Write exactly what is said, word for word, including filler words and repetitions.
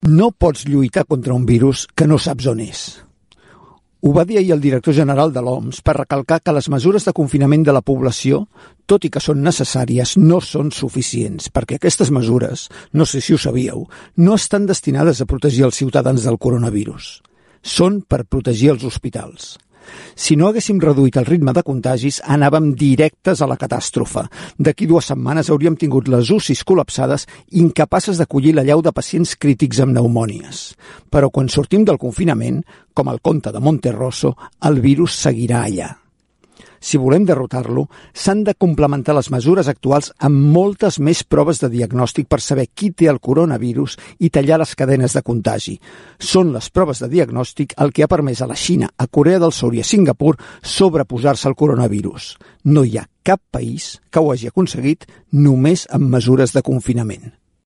No pots lluitar contra un virus que no saps on és. Ho va dir ahir el director general de l'O M S per recalcar que les mesures de confinament de la població, tot i que són necessàries, no són suficients, perquè aquestes mesures, no sé si ho sabíeu, no estan destinades a protegir els ciutadans del coronavirus. Són per protegir els hospitals. Si no haguéssim reduït el ritme de contagis, anàvem directes a la catàstrofe. D'aquí dues setmanes hauríem tingut les U C Is col·lapsades, incapaces d'acollir l'allau de pacients crítics amb pneumònies. Però quan sortim del confinament, com el conte de Monterroso, el virus seguirà allà. Si volem derrotar-lo, s'han de complementar les mesures actuals amb moltes més proves de diagnòstic per saber qui té el coronavirus i tallar les cadenes de contagi. Són les proves de diagnòstic el que ha permès a la Xina, a Corea del Sud i a Singapur sobreposar-se al coronavirus. No hi ha cap país que ho hagi aconseguit només amb mesures de confinament.